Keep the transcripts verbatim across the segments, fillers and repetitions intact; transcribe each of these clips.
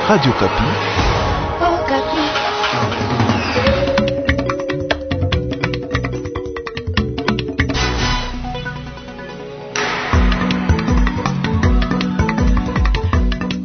Radio Okapi.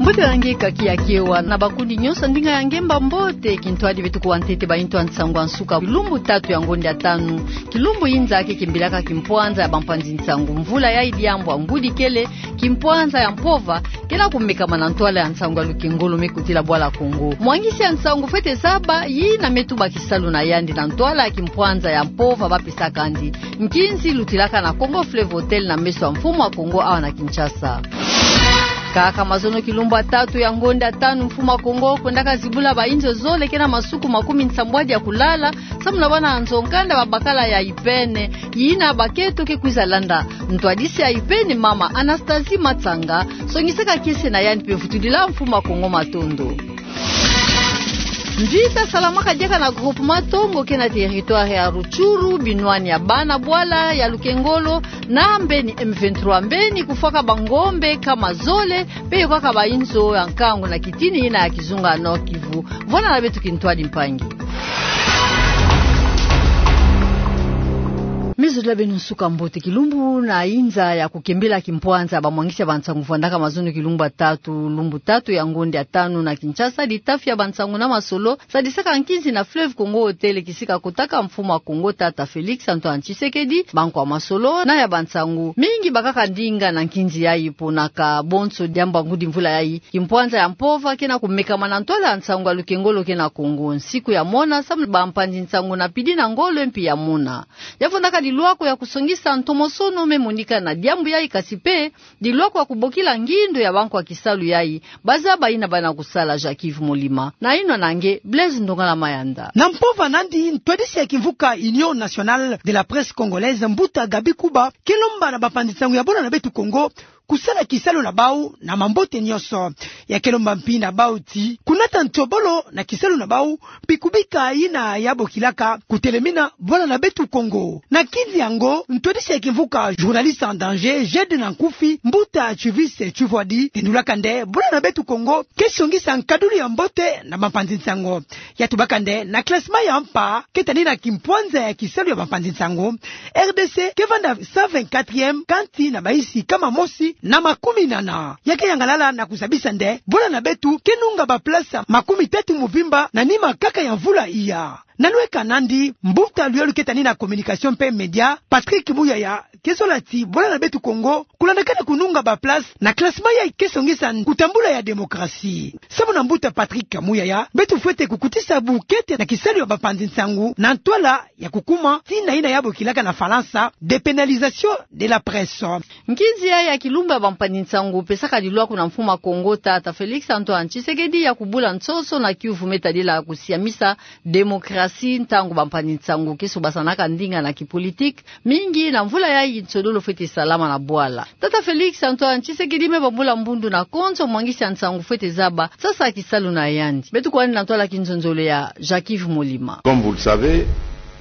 Mbote ya nge kaki ya kiewa na bakundi nyonso ya ndinga ya nge, mbote. Kintwadi beto kuwa ntete ba intu ya nsangu ya nsuka lumbu tatu ya ngonde ya tanu. Kilumbu inza ke kembilaka kimpwanza ya bampanzi nsangu mvula yayi, diambu ya ngudi kele kimpwanza ya mpova ke na kumekama na ntwala ya nsangu ya lukengolo me kotila Bwala Kongo. Mwangisi ya nsangu fwete zaba yina me tuba kisalu na yandi na ntwala ya kimpwanza ya mpova ba pesaka yandi. Nkinzi lutilaka na Kongo Fleuve Hotel na meso ya Mfumu ya Kongo awa na Kinshasa. Kaka mazono kilumbu ya tatu ya ngonde ya tanu, Mfumu ya Kongo kwendaka zibula ba inzo zole ke na masuku makumi nsambwadi ya kulala, samu na bana nzo-nkanda ba bakala ya IPN, yina baketo ke kwiza landa. Ntwadisi ya IPN, mama Anastasie Matsanga, songisaka kiese na yandi mpe vutudila Mfumu ya Kongo matondo. Mvita salamaka diaka na groupement Tongo ke na territoire ya Rutshuru, binwani ya bana bwala ya lukengolo na mbeni M vingt-trois, mbeni kufwaka bangombe kama zole, mpe yokaka ba inzo ya nkangu na kitini yina ya kizunga Nord-Kivu. Vwanda na beto kintwadi mpangi. Me zodila beno nsuka mbote. Kilumbu na inza ya kukembila kimpwanza ya bamwangisi ya bansangu vwandaka mazono kilumbu ya tatu, lumbu tatu ya ngonde ya tanu na Kinshasa, ditafi ya bansangu na masolo sadisaka nkinzi na Fleuve Congo Hotel, kisika kotaka Mfumu ya Kongo tata Félix Antoine Tshisekedi. Bankwa masolo na ya bansangu mingi bakaka ndinga na nkinzi yayi, ponaka bonso diambu ya ngudi mvula yayi kimpwanza ya mpova ke na kumekama na ntwala ya nsangu ya lukengolo ke na Kongo. Nsiku ya mona, samu bampanzi nsangu na pidi na ngolo mpi ya mona, ya vwandaka dilwako ya kusongisa ntomosono me monika na diambu yayi, kasi mpe dilwako ya kubokila ngindo ya bankwa kisalu yayi, bazaba yina bana kusala. Jacques Yves Molima na yinwa na nge Blaise Ndongala Mayanda. Na mpova nandi, ntwadisi ya kimvuka Union Nationale de la Presse Congolaise, mbuta Gaby Kuba, ke lomba na bampanzi nsangu ya bwala na beto Kongo kusala kisalu na bau na mambote nyonso. Ya ke lomba mpi na bau ti kunata ntobolo na kisalu na bau, mpi kubika yina ya bokilaka kutelemina bwala na beto Kongo. Na nkinzi yango, ntwadisi ya kimvuka Journalistes en danger, GED na nkufi, mbuta Chivise Chivwadi, ke ndulaka nde bwala na beto Kongo ke songisa nkadulu ya mbote na bampanzi nsangu. Ya tubaka nde na classement ya mpa ke tani na kimpwanza ya kisalu ya bampanzi nsangu, R D C ke vanda cent vingt-quatrième, kansi na bayinsi kama mosi na makumi nana. Ya ke yangalala na kuzabisa nde bwala na beto ke nunga ba place makumi tatu mvimba na nima kaka ya mvula iya. Na lweka nandi, mbuta luyolu ke tani na communication mpe média, Patrick Muyaya, ke zola ti bwala na beto Kongo kulandakana kununga ba place na classement yayi ke songisa kutambula ya démocratie. Samu na mbuta Patrick Muyaya, beto fwete kukotisa bukete na kisalu ya bampanzi nsangu na ntwala ya kukuma tina yina ya bokilaka na Falansa dépénalisation de la presse. Nkinzi yayi ya kilumbu ya bampanzi nsangu pesaka dilwako na Mfumu ya Kongo tata Félix Antoine Tshisekedi ya kubula nsoso na kiuvu me tadila kusiamisa démocratie, ntangu bampanzi nsangu ke sobasanaka ndinga na kipolitique mingi na mvula yayi nsodolo fwete salama na bwala. Tata Félix Antoine Tshisekedi me bambula mbundu na konso mwangisi ya nsangu fwete zaba sasa kisalu na yandi. Beto kuwani na ntwala kinzonzolo ya Jacques Yves Molima. Comme vous le savez,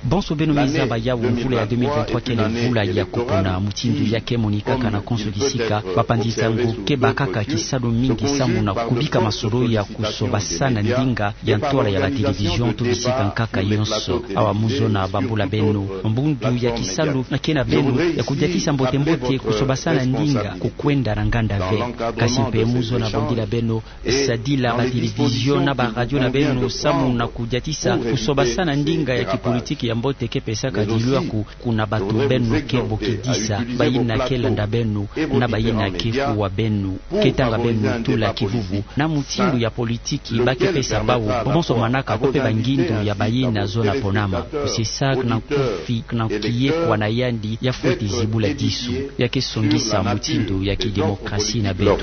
bonso beno me zaba yawu, mvula ya deux mille vingt-trois kele mvula ya kupona. Mutindu ya ke monikaka na konso kisika, bampanzi nsangu ke bakaka kisalu mingi samu na kubika masolo ya kusobasana ndinga ya ntwala ya ba télévision to bisika nkaka yonso. Awa mu zona bambula beno, mbundu ya kisalu na ke na beno ya kudiatisa mbote-mbote kusobasana ndinga kukwenda na nganda ve. Kasi mpe mu zona bambula beno, sadila ba télévision na ba radio na beno samu na kudiatisa kusobasana ndinga ya kipolitique ya mbote ke pesaka dilwako kuna bato beno ke bokidisa, bayina ke landa beno na bayina ke kuwa beno, ke tanga beno tula kivuvu na mutindu ya politique ba ke pesa bawu bonso manaka ko pe ba ngindu ya bayina zona ponama. Kusesa na nkufi na kiye kwa na yandi ya fwete zibula disu, ya ke songisa mutindu ya kidémocratie na beto.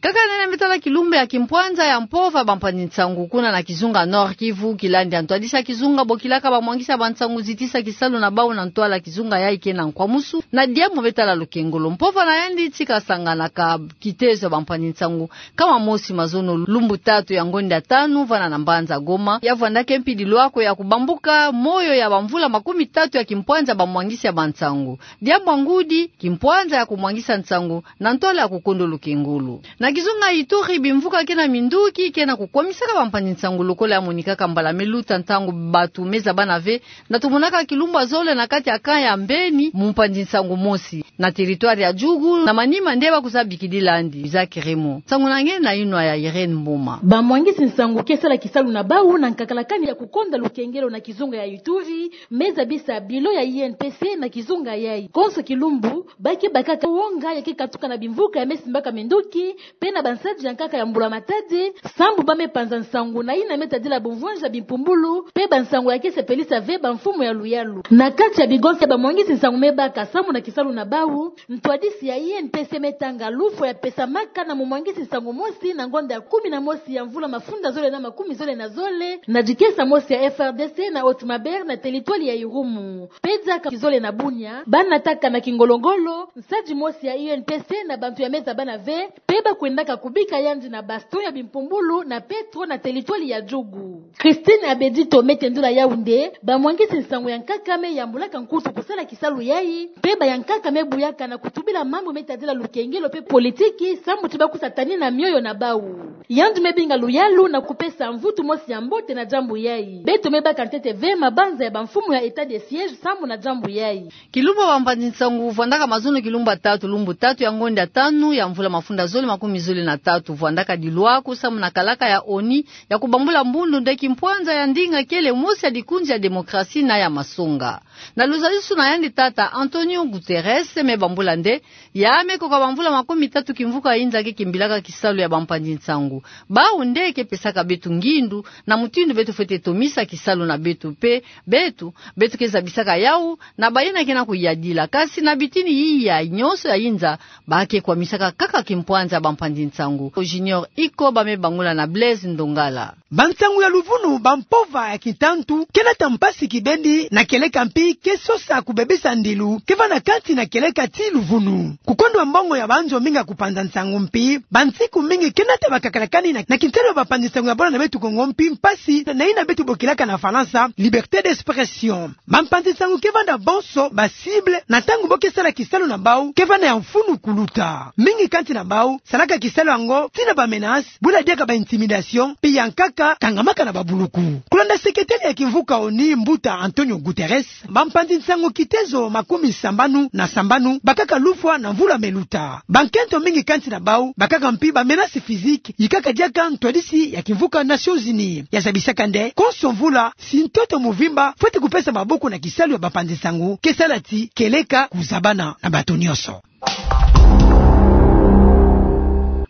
Kaka nene me tala kilumbu ya kimpwanza ya mpova, bampanzi nsangu kuna na kizunga Nord-Kivu, kilandi ya ntwadisi ya kizunga bokilaka bamwangisi ya bansangu zitisa kisalu na bawu na ntwala kizunga yayi ke na nkwamusu na diambu me tala lukengolo. Mpova na yandi tika sanganaka kitezo ya bampanzi nsangu kama mosi mazono lumbu tatu ya ngonda tanu vana na mbanza Goma. Ya vwandaka mpi dilwako ya kubambuka moyo ya bamvula makumi tatu ya kimpwanza bamwangisi ya bansangu. Diambu ya ngudi, kimpwanza ya kumwangisa nsangu na ntwala ya kukondo lukengolo. ngolo. Na kizunga Ituri, bimvuka ke na minduki ke na kukwamisaka bampanzi-nsangu lokola yamonikaka mbala me luta ntangu bato me zabana ve, na tomonaka kilumbu ya zole na kati ya camp ya Mbeni, mpanzi-nsangu mosi na territoire ya Djugu, na manima nde ba kwiza bikidila yandi. Isaac Remo. Nsangu na nge na yinwa ya Irène Mboma. Bamwangisi-nsangu ke sala kisalu na bawu na nkakalakani ya kukonda lukengelo na kizunga ya Ituri, me zabisa bilo ya I N P C na kizunga yayi. Konso kilumbu, ba ke bakaka wonga ya ke katuka na bimvuka ya me simbaka minduki, pe na bansadi ya nkaka ya mbula-matadi, sambu ba me panza nsangu na yina me tadila bumvwanja bimpumbulu, pe bansangu ya ke sepelisa ve bamfumu ya luyalu. Na kati ya bigonsa ya bamwangisi-nsangu me baka sambu na kisalu na bawu, ntwadisi ya I N P C me tanga lufwa ya pesamaka na mumwangisi-nsangu mosi na ngonda ya kumi na mosi ya mvula mafunda zole na makumi zole na zole, na dikesa mosi ya F R D C na Haute-Maubert na territoire ya Irumu. Pe diaka kizole na Bunia, ba nataka na kingolo-ngolo nsadi mosi ya U N P C na bantu ya me zabana ve, pe ba kwendaka kubika yandi na baston ya bimpumbulu na Petro na territoire ya Djugu. Christine Abedito me tendula yawu nde, bamwangisi-nsangu ya nkaka me yambulaka nkutu kusala kisalu yayi, pe ba ya nkaka me buyaka na kutubila mambu me tadila lukengelo pe politiki, sambu ti ba kwiza tanina mioyo na bawu. Yandi me binga luyalu na kupesa mvutu mosi ya mbote na diambu yayi. Beto me baka ntete ve mabanza ya bamfumu ya état de siège sambu na diambu yayi. Kilumbu ya bampanzi-nsangu vwandaka mazono kilumbu ya tatu, lumbu tatu ya ngonda ya tanu ya mvula mafunda zole makumi zole na tatu, vwandaka dilwaku sambu na kalaka ya ONU ya kubambula mbundu nde kimpwanza ya ndinga kele mosi ya dikunzi ya démocratie na ya masonga. Na luzalisu na yandi, tata Antonio Guterres me bambula nde, ya me koka bamvula makumi tatu kimvuka inza ke kimbilaka kisalu ya bampanzi-nsangu. Bawu nde ke pesaka beto ngindu na mutindu beto fwete tomisa kisalu na beto pe, beto, beto ke zabisaka yawu, na bayina ke na kuyadila. Kasi na bitini yiya nyonso ya inza, ba ke kwamisaka kaka kimpwanza ya bampanzi-nsangu. Junior Iko ba me bangula na Blaise Ndongala. Bansangu ya luvunu, bampova ya kitantu, ke nata mpasi kibeni na kieleka mpi ke sosa kubebisa ndilu ke vanda kati na kieleka ti luvunu. Kukondo mbongo ya banzo mingi ya kupanza nsangu mpi, bansiku mingi ke nata bakakalakani na, na kintelo ya bampanzi-nsangu ya bwala na beto Kongo mpi mpasi na, na yina beto bokilaka na Falansa liberté d'expression. Bampanzi-nsangu ke vanda bonso ba cible, na ntangu bo ke sala kisalu na bawu ke vanda ya mfunu kuluta. Mingi kati na bawu salaka kisalu yango tii na ba menace, bula diaka ba intimidation, pe ya nkaka kangamaka na babuluku. Kulanda sekretele ya kimvuka ONU, mbuta Antonio Guterres, bampanzi-nsangu kitezo makumi sambanu na sambanu bakaka lufwa na mvula me luta. Bankento mingi kati na bawu bakaka mpi ba menace physique, yikaka diaka ntwadisi ya kimvuka Nations Unies ya zabisaka nde konso mvula, si ntoto muvimba fwete kupesa maboko na kisalu ya bampanzi-nsangu ke sala ti kieleka kuzabana na bato nyonso.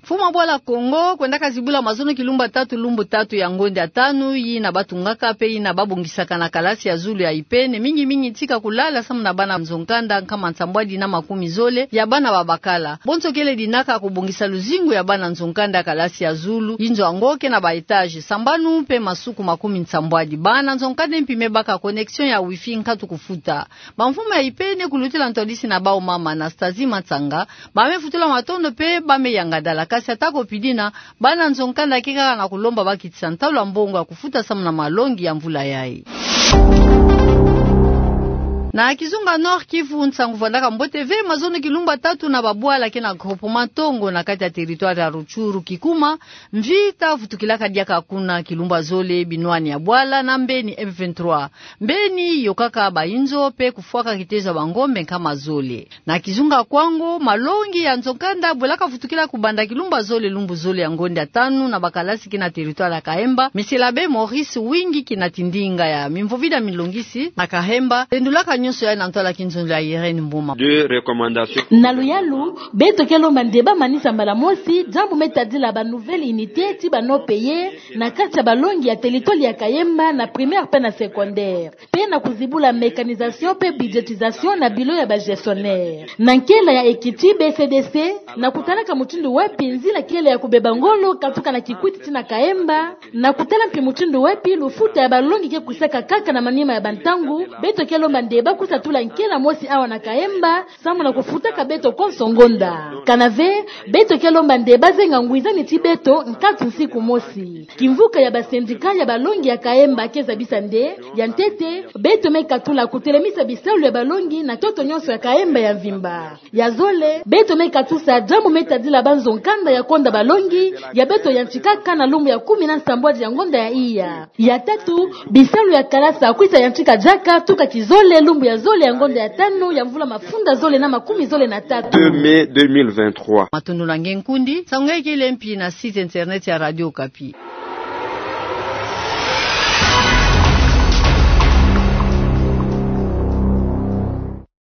Mfumu ya bwala Kongo kwendaka zibula mazono kilumbu ya tatu, lumbu tatu ya ngonda ya tanu, yina ba tungaka pe yina ba bongisaka na kalasi ya zulu ya Ipene, mingi-mingi tika kulala samu na bana nzo-nkanda nkama nsambwadi na makumi zole ya bana babakala. Bonso kele dinaka kubongisa luzingu ya bana nzo-nkanda kalasi ya zulu, yinzo yango ke na ba étage sambanu pe masuku makumi nsambwadi. Bana nzo-nkanda mpi me baka connexion ya wifi, nkatu kufuta. Bamfumu ya Ipene, kulutila ntwadisi na bawu mama Anastasie Matsanga, ba me futula matondo pe ba me yanga dala. Kasi ata ko pi dina, bana nzo-nkanda ke kaka na kulomba ba kitisa ntalu ya mbongo ya kufuta samu na malongi ya mvula yayi. Na kizunga Nord-Kivu, nsangu vwandaka mbote ve mazono kilumbu ya tatu na babwala ke na groupement Tongo na kati ya territoire ya Rutshuru, Kikuma, mvita vutukilaka diaka kuna. Kilumbu ya zole, binwani ya bwala na Mbeni, M vingt-trois Mbeni yokaka bayinzo pe kufwaka kitezo ya bangombe nkama zole. Na kizunga Kwango, malongi ya nzo-nkanda bwelaka vutukila kubanda kilumbu ya zole, lumbu zole ya ngonda ya tanu na bakalasi ke na territoire ya Kahemba. Monsieur l'abbé Maurice Wingi, kina tindinga ya mimvovida milongisi na Kahemba, tendulaka nyonso yayi na ntwala ya kinzonzolo ya Irène Mboma. Deux recommandations. Na luyalu, beto ke lomba nde ba manisa mbala mosi diambu me tadila ba nouvelles unités ti ba non-payés na kati ya balongi ya territoire ya Kahemba, na primaire pe na secondaire, pe na kuzibula mécanisation pe budgétisation na bureau ya ba gestionnaire. Na nkela ya ekiti B C D C, na kutalaka mutindu wapi nzila kele ya kubeba ngolo katuka na Kikwit tii na Kahemba, na kutala mpi mutindu wapi lufuta ya balongi ke kwisaka kaka na manima ya bantangu, beto ke lomba nde ba Kusa tula nkela mosi awa na Kaemba, samu na kufutaka beto konso ngonda. Kanave, beto ke lomba nde bazenga ngwizani ti beto nkatu nsiku mosi. Kimvuka ya ba syndicat ya balongi ya Kaemba ke zabisa nde, ya ntete, beto me katula kutelemisa bisalu ya balongi na ntoto nyonso ya Kaemba ya mvimba. Ya zole, beto me katusa diambu me tadila banzo nkanda ya konda balongi, ya beto yantikaka na lumbu ya kumi na nsambwadi ya ngonda ya iya. Ya tatu, bisalu ya kalasa kwisa yantika diaka tuka kizole lumbu ya zole ya ngonda ya tanu ya mvula mafunda zole na makumi zole na tatu. Deux mai deux mille vingt-trois. Matondo na nge nkundi, nsangu nge kele mpi na site internet ya Radio Okapi.